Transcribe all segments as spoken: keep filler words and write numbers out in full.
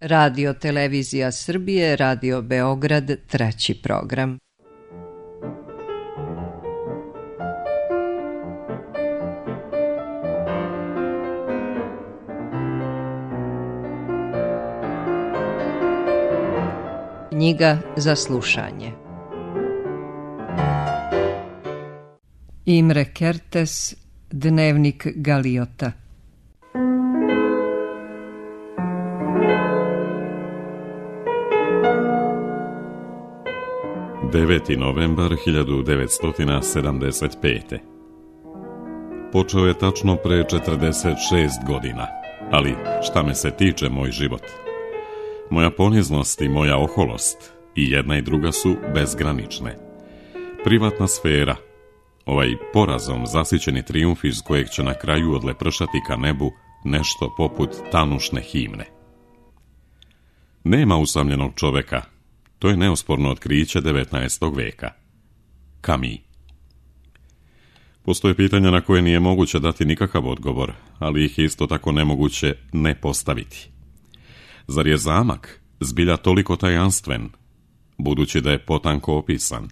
Radio Televizija Srbije, Radio Beograd, treći program. Knjiga za slušanje. Imre Kertész, Dnevnik Galiota. deveti novembar hiljadu devetsto sedamdeset pete. Počeo je tačno pre četrdeset šest godina, ali šta me se tiče moj život. Moja poniznost i moja oholost, i jedna i druga su bezgranične. Privatna sfera, ovaj porazom zasićeni trijumf iz kojeg će na kraju odlepršati ka nebu nešto poput tanušne himne. Nema usamljenog čoveka. To je neosporno otkriće devetnaestog veka. Camus. Postoje pitanja na koje nije moguće dati nikakav odgovor, ali ih isto tako nemoguće ne postaviti. Zar je zamak zbilja toliko tajanstven, budući da je potanko opisan?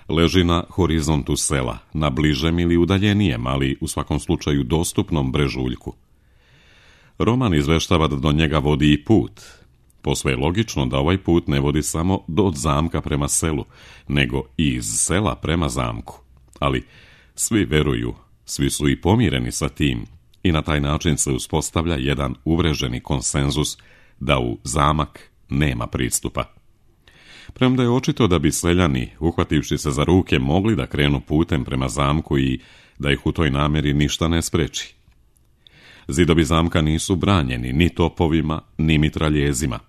Leži na horizontu sela, na bližem ili udaljenijem, ali u svakom slučaju dostupnom brežuljku. Roman izveštava da do njega vodi i put. Posve je logično da ovaj put ne vodi samo od zamka prema selu, nego i iz sela prema zamku. Ali svi veruju, svi su i pomireni sa tim i na taj način se uspostavlja jedan uvreženi konsenzus da u zamak nema pristupa. Premda je očito da bi seljani, uhvativši se za ruke, mogli da krenu putem prema zamku i da ih u toj namjeri ništa ne spreči. Zidovi zamka nisu branjeni ni topovima, ni mitraljezima.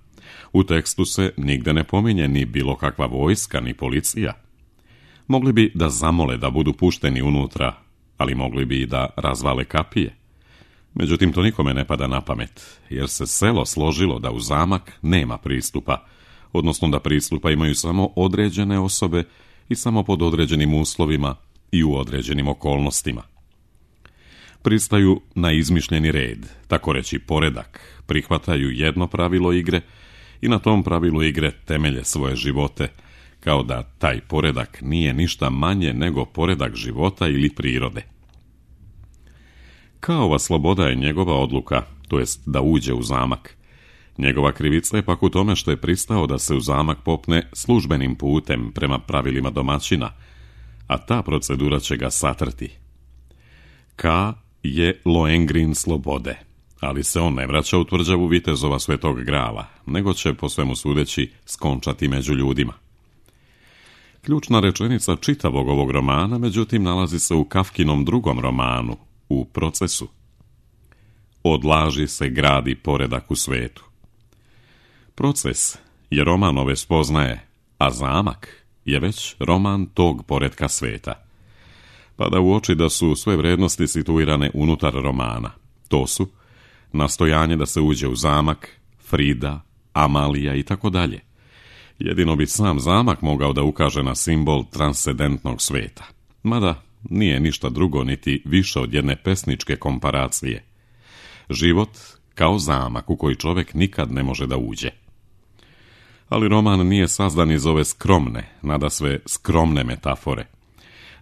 U tekstu se nigde ne pominje ni bilo kakva vojska, ni policija. Mogli bi da zamole da budu pušteni unutra, ali mogli bi i da razvale kapije. Međutim, to nikome ne pada na pamet, jer se selo složilo da u zamak nema pristupa, odnosno da pristupa imaju samo određene osobe i samo pod određenim uslovima i u određenim okolnostima. Pristaju na izmišljeni red, tako reći poredak, prihvataju jedno pravilo igre i na tom pravilu igre temelje svoje živote, kao da taj poredak nije ništa manje nego poredak života ili prirode. Kaova sloboda je njegova odluka, to jest da uđe u zamak. Njegova krivica je pak u tome što je pristao da se u zamak popne službenim putem prema pravilima domaćina, a ta procedura će ga satrti. Ka je Lohengrin slobode, ali se on ne vraća u tvrđavu vitezova Svetog Grala, nego će, po svemu sudeći, skončati među ljudima. Ključna rečenica čitavog ovog romana, međutim, nalazi se u Kafkinom drugom romanu, u Procesu. Od laži se gradi poredak u svetu. Proces je roman ove spoznaje, a zamak je već roman tog poretka sveta. Pada u oči da su sve vrednosti situirane unutar romana. To su nastojanje da se uđe u zamak, Frida, Amalija i tako dalje. Jedino bi sam zamak mogao da ukaže na simbol transcendentnog sveta. Mada nije ništa drugo niti više od jedne pesničke komparacije. Život kao zamak u koji čovjek nikad ne može da uđe. Ali roman nije sazdan iz ove skromne, nadasve skromne metafore.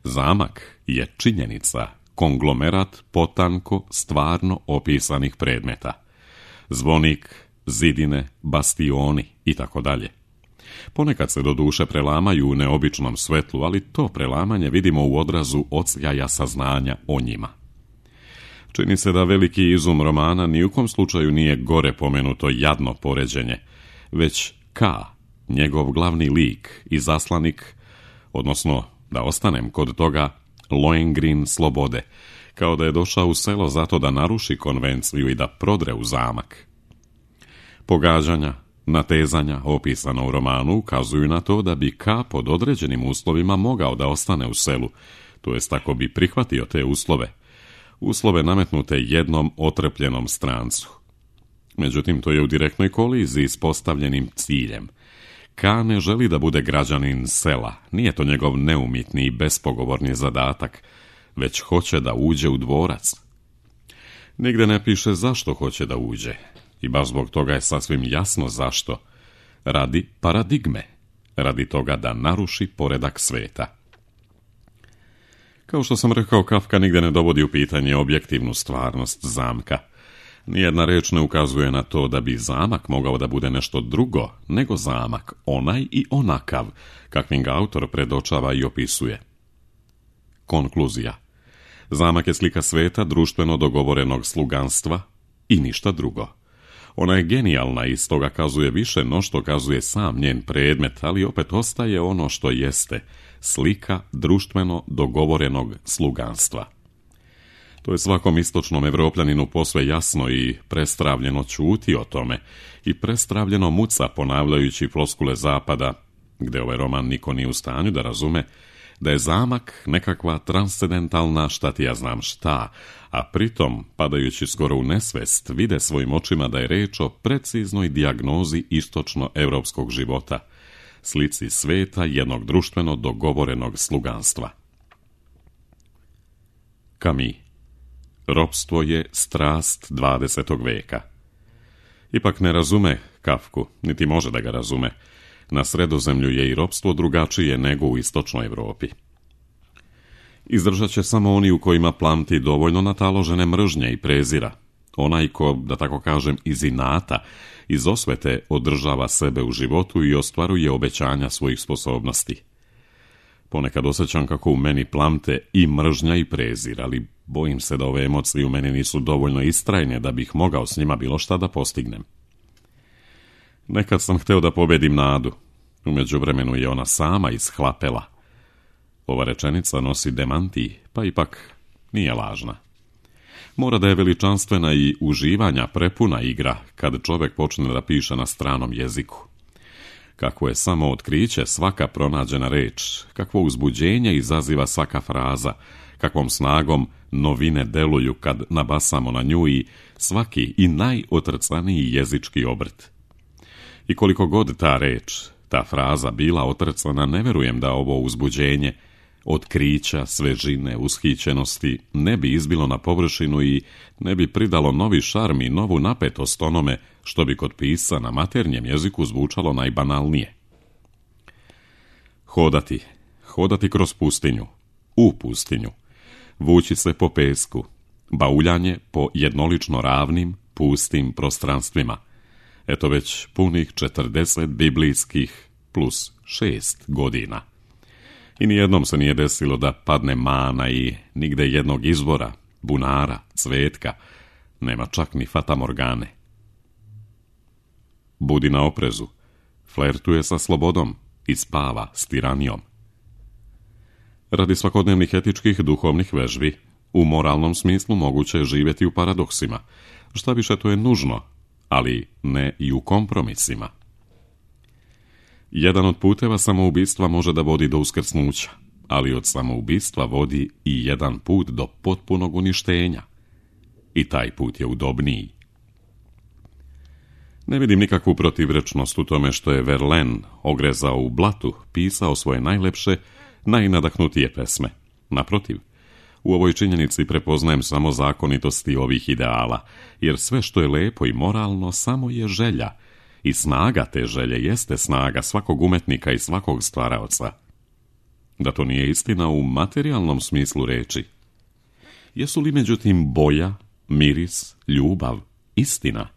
Zamak je činjenica, konglomerat potanko stvarno opisanih predmeta. Zvonik, zidine, bastioni i tako dalje. Ponekad se do duše prelamaju u neobičnom svetlu, ali to prelamanje vidimo u odrazu odsjaja saznanja o njima. Čini se da veliki izum romana ni u kom slučaju nije gore pomenuto jadno poređenje, već Ka, njegov glavni lik i zaslanik, odnosno, da ostanem kod toga, Lohengrin slobode, kao da je došao u selo zato da naruši konvenciju i da prodre u zamak. Pogađanja, natezanja opisana u romanu ukazuju na to da bi Ka pod određenim uslovima mogao da ostane u selu, to jest ako bi prihvatio te uslove, uslove nametnute jednom otrpljenom strancu. Međutim, to je u direktnoj koliziji s postavljenim ciljem. Ka ne želi da bude građanin sela, nije to njegov neumitni i bespogovorni zadatak, već hoće da uđe u dvorac. Nigde ne piše zašto hoće da uđe, I baš zbog toga je sasvim jasno zašto. Radi paradigme. Radi toga da naruši poredak sveta. Kao što sam rekao, Kafka nigde ne dovodi u pitanje objektivnu stvarnost zamka. Nijedna reč ne ukazuje na to da bi zamak mogao da bude nešto drugo nego zamak, onaj i onakav, kakvim ga autor predočava i opisuje. Konkluzija. Zamak je slika sveta društveno dogovorenog sluganstva i ništa drugo. Ona je genijalna i stoga kazuje više no što kazuje sam njen predmet, ali opet ostaje ono što jeste, slika društveno dogovorenog sluganstva. To je svakom istočnom Evropljaninu posve jasno i prestravljeno ćuti o tome i prestravljeno muca ponavljajući floskule zapada, gde ovaj roman niko nije u stanju da razume, da je zamak nekakva transcendentalna šta ti ja znam šta, a pritom, padajući skoro u nesvest, vide svojim očima da je reč o preciznoj dijagnozi istočno-evropskog života, slici sveta jednog društveno dogovorenog sluganstva. Camus. Ropstvo je strast dvadesetog veka. Ipak ne razume Kafku, niti može da ga razume. Na Sredozemlju je i ropstvo drugačije nego u istočnoj Evropi. Izdržat će samo oni u kojima plamti dovoljno nataložene mržnje i prezira. Onaj ko, da tako kažem, iz inata, iz osvete održava sebe u životu i ostvaruje obećanja svojih sposobnosti. Ponekad osjećam kako u meni plamte i mržnja i prezir, ali bojim se da ove emocije u meni nisu dovoljno istrajne da bih mogao s njima bilo šta da postignem. Nekad sam hteo da pobedim nadu. U međuvremenu je ona sama ishlapela. Ova rečenica nosi demanti, pa ipak nije lažna. Mora da je veličanstvena i uživanja prepuna igra kad čovjek počne da piše na stranom jeziku. Kakvo je samo otkriće svaka pronađena reč, kakvo uzbuđenje izaziva svaka fraza, kakvom snagom novine deluju kad nabasamo na nju i svaki i najotrcaniji jezički obrt. I koliko god ta reč, ta fraza bila otrcana, ne verujem da ovo uzbuđenje, otkrića, svežine, ushićenosti ne bi izbilo na površinu i ne bi pridalo novi šarm i novu napetost onome što bi kod pisca na maternjem jeziku zvučalo najbanalnije. Hodati, hodati kroz pustinju, u pustinju, vući se po pesku, bauljanje po jednolično ravnim, pustim prostranstvima. Eto već punih četrdeset biblijskih plus šest godina. I nijednom se nije desilo da padne mana i nigde jednog izvora, bunara, cvetka, nema čak ni fatamorgane. Budi na oprezu, flertuje sa slobodom i spava s tiranijom. Radi svakodnevnih etičkih duhovnih vežbi, u moralnom smislu moguće je živjeti u paradoksima, šta više to je nužno, ali ne i u kompromisima. Jedan od puteva samoubistva može da vodi do uskrsnuća, ali od samoubistva vodi i jedan put do potpunog uništenja. I taj put je udobniji. Ne vidim nikakvu protivrečnost u tome što je Verlaine ogrezao u blatu, pisao svoje najlepše, najnadahnutije pesme. Naprotiv, u ovoj činjenici prepoznajem samo zakonitosti ovih ideala, jer sve što je lepo i moralno samo je želja, i snaga te želje jeste snaga svakog umetnika i svakog stvaraoca. Da to nije istina u materijalnom smislu reči. Jesu li međutim boja, miris, ljubav istina?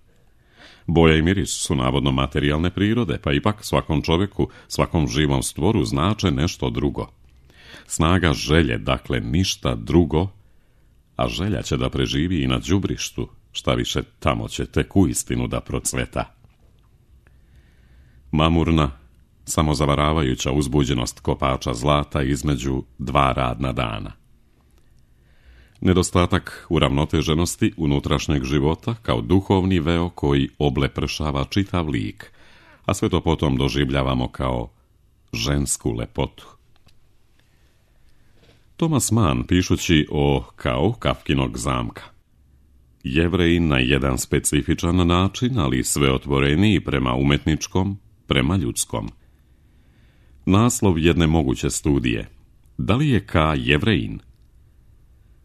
Boja i miris su navodno materijalne prirode, pa ipak svakom čovjeku, svakom živom stvoru znače nešto drugo. Snaga želje, dakle, ništa drugo, a želja će da preživi i na đubrištu, šta više tamo će tek uistinu da procveta. Mamurna, samozavaravajuća uzbuđenost kopača zlata između dva radna dana. Nedostatak uravnoteženosti unutrašnjeg života kao duhovni veo koji oblepršava čitav lik, a sve to potom doživljavamo kao žensku lepotu. Thomas Mann, pišući o kao Kafkinog zamka, Jevreji na jedan specifičan način, ali sve otvoreniji prema umetničkom, prema ljudskom. Naslov jedne moguće studije. Da li je Ka Jevrejin?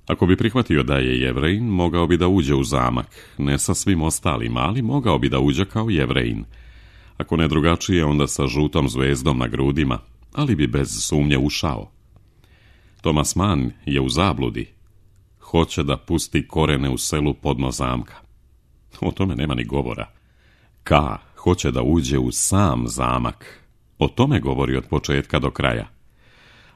Ako bi prihvatio da je Jevrejin, mogao bi da uđe u zamak, ne sa svim ostalima, ali mogao bi da uđe kao Jevrejin. Ako ne drugačije, onda sa žutom zvezdom na grudima, ali bi bez sumnje ušao. Thomas Mann je u zabludi. Hoće da pusti korene u selu podno zamka. O tome nema ni govora. K. hoće da uđe u sam zamak. O tome govori od početka do kraja.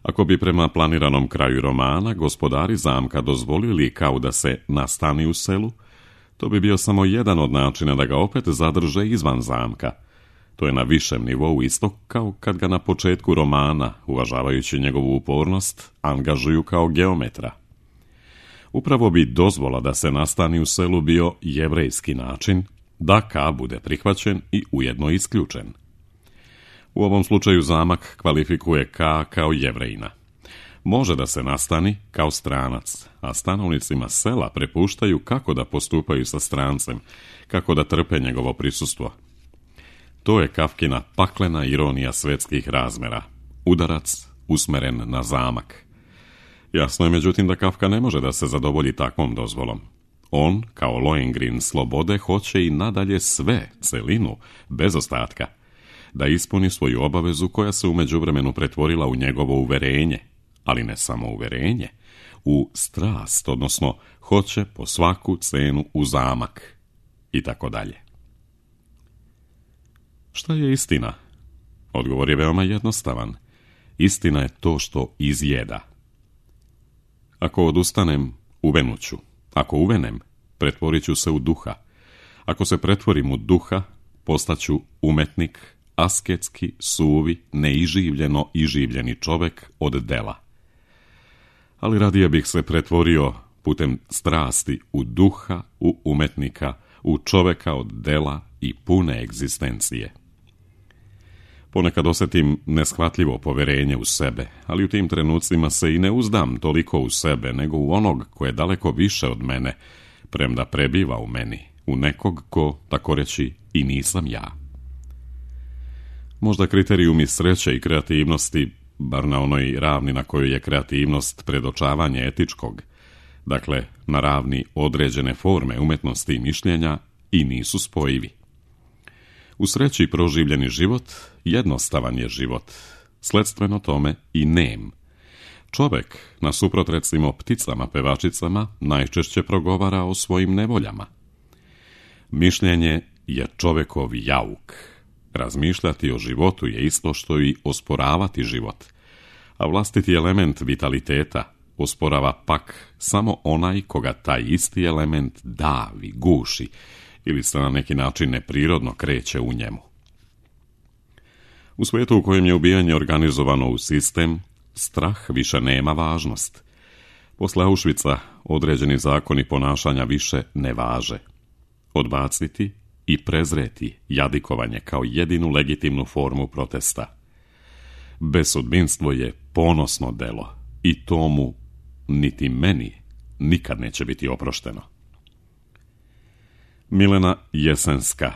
Ako bi prema planiranom kraju romana gospodari zamka dozvolili Kao da se nastani u selu, to bi bio samo jedan od načina da ga opet zadrže izvan zamka. To je na višem nivou isto kao kad ga na početku romana, uvažavajući njegovu upornost, angažuju kao geometra. Upravo bi dozvola da se nastani u selu bio jevrejski način da Ka bude prihvaćen i ujedno isključen. U ovom slučaju zamak kvalifikuje Ka kao Jevrejina. Može da se nastani kao stranac, a stanovnicima sela prepuštaju kako da postupaju sa strancem, kako da trpe njegovo prisustvo. To je Kafkina paklena ironija svetskih razmera, udarac usmeren na zamak. Jasno je međutim da Kafka ne može da se zadovolji takvom dozvolom. On, kao Lohengrin slobode, hoće i nadalje sve, celinu, bez ostatka, da ispuni svoju obavezu koja se u međuvremenu pretvorila u njegovo uverenje, ali ne samo uverenje, u strast, odnosno hoće po svaku cenu u zamak i tako dalje. Šta je istina? Odgovor je veoma jednostavan. Istina je to što izjeda. Ako odustanem, uvenuću. Ako uvenem, pretvorit ću se u duha. Ako se pretvorim u duha, postaću umetnik, asketski, suvi, neiživljeno iživljeni čovek od dela. Ali radije bih se pretvorio putem strasti u duha, u umetnika, u čoveka od dela i pune egzistencije. Ponekad osjetim neshvatljivo poverenje u sebe, ali u tim trenucima se i ne uzdam toliko u sebe, nego u onog ko je daleko više od mene, premda prebiva u meni, u nekog ko, tako reći, i nisam ja. Možda kriterijumi sreće i kreativnosti, bar na onoj ravni na kojoj je kreativnost predočavanje etičkog, dakle na ravni određene forme umetnosti i mišljenja, i nisu spojivi. U sreći proživljeni život jednostavan je život, sledstveno tome i nem. Čovek, nasuprot recimo pticama pevačicama, najčešće progovara o svojim nevoljama. Mišljenje je čovekov jauk. Razmišljati o životu je isto što i osporavati život, a vlastiti element vitaliteta osporava pak samo onaj koga taj isti element davi, guši, ili se na neki način neprirodno kreće u njemu. U svijetu u kojem je ubijanje organizovano u sistem, strah više nema važnost. Posle Auschwitza određeni zakoni ponašanja više ne važe. Odbaciti i prezreti jadikovanje kao jedinu legitimnu formu protesta. Bezsudbinstvo je ponosno delo i tomu niti meni nikad neće biti oprošteno. Milena Jesenska,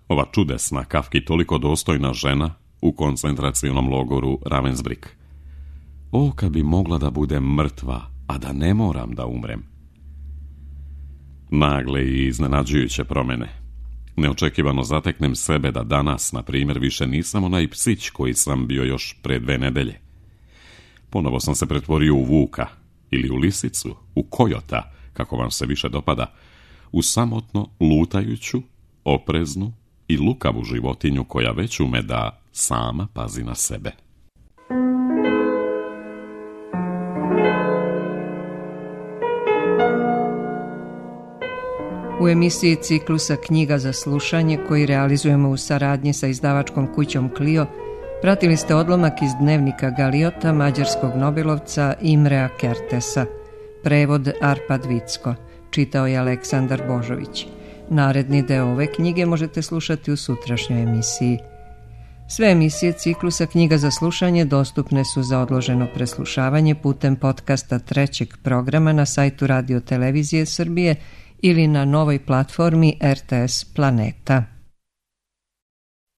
ova čudesna, Kafki toliko dostojna žena u koncentracionom logoru Ravensbrück. O, kad bi mogla da budem mrtva, a da ne moram da umrem. Nagle i iznenađujuće promjene. Neočekivano zateknem sebe da danas, na primjer, više nisam onaj psić koji sam bio još pre dve nedelje. Ponovo sam se pretvorio u vuka, ili u lisicu, u kojota, kako vam se više dopada, u samotno lutajuću, opreznu i lukavu životinju koja već ume da sama pazi na sebe. U emisiji ciklusa Knjiga za slušanje, koji realizujemo u saradnji sa izdavačkom kućom Clio, pratili ste odlomak iz dnevnika Galiota mađarskog nobelovca Imrea Kertesa. Prevod Arpad Vicko. Čitao je Aleksandar Božović. Naredni deo ove knjige možete slušati u sutrašnjoj emisiji. Sve emisije ciklusa Knjiga za slušanje dostupne su za odloženo preslušavanje putem podcasta trećeg programa na sajtu Radio Televizije Srbije ili na novoj platformi R T S Planeta.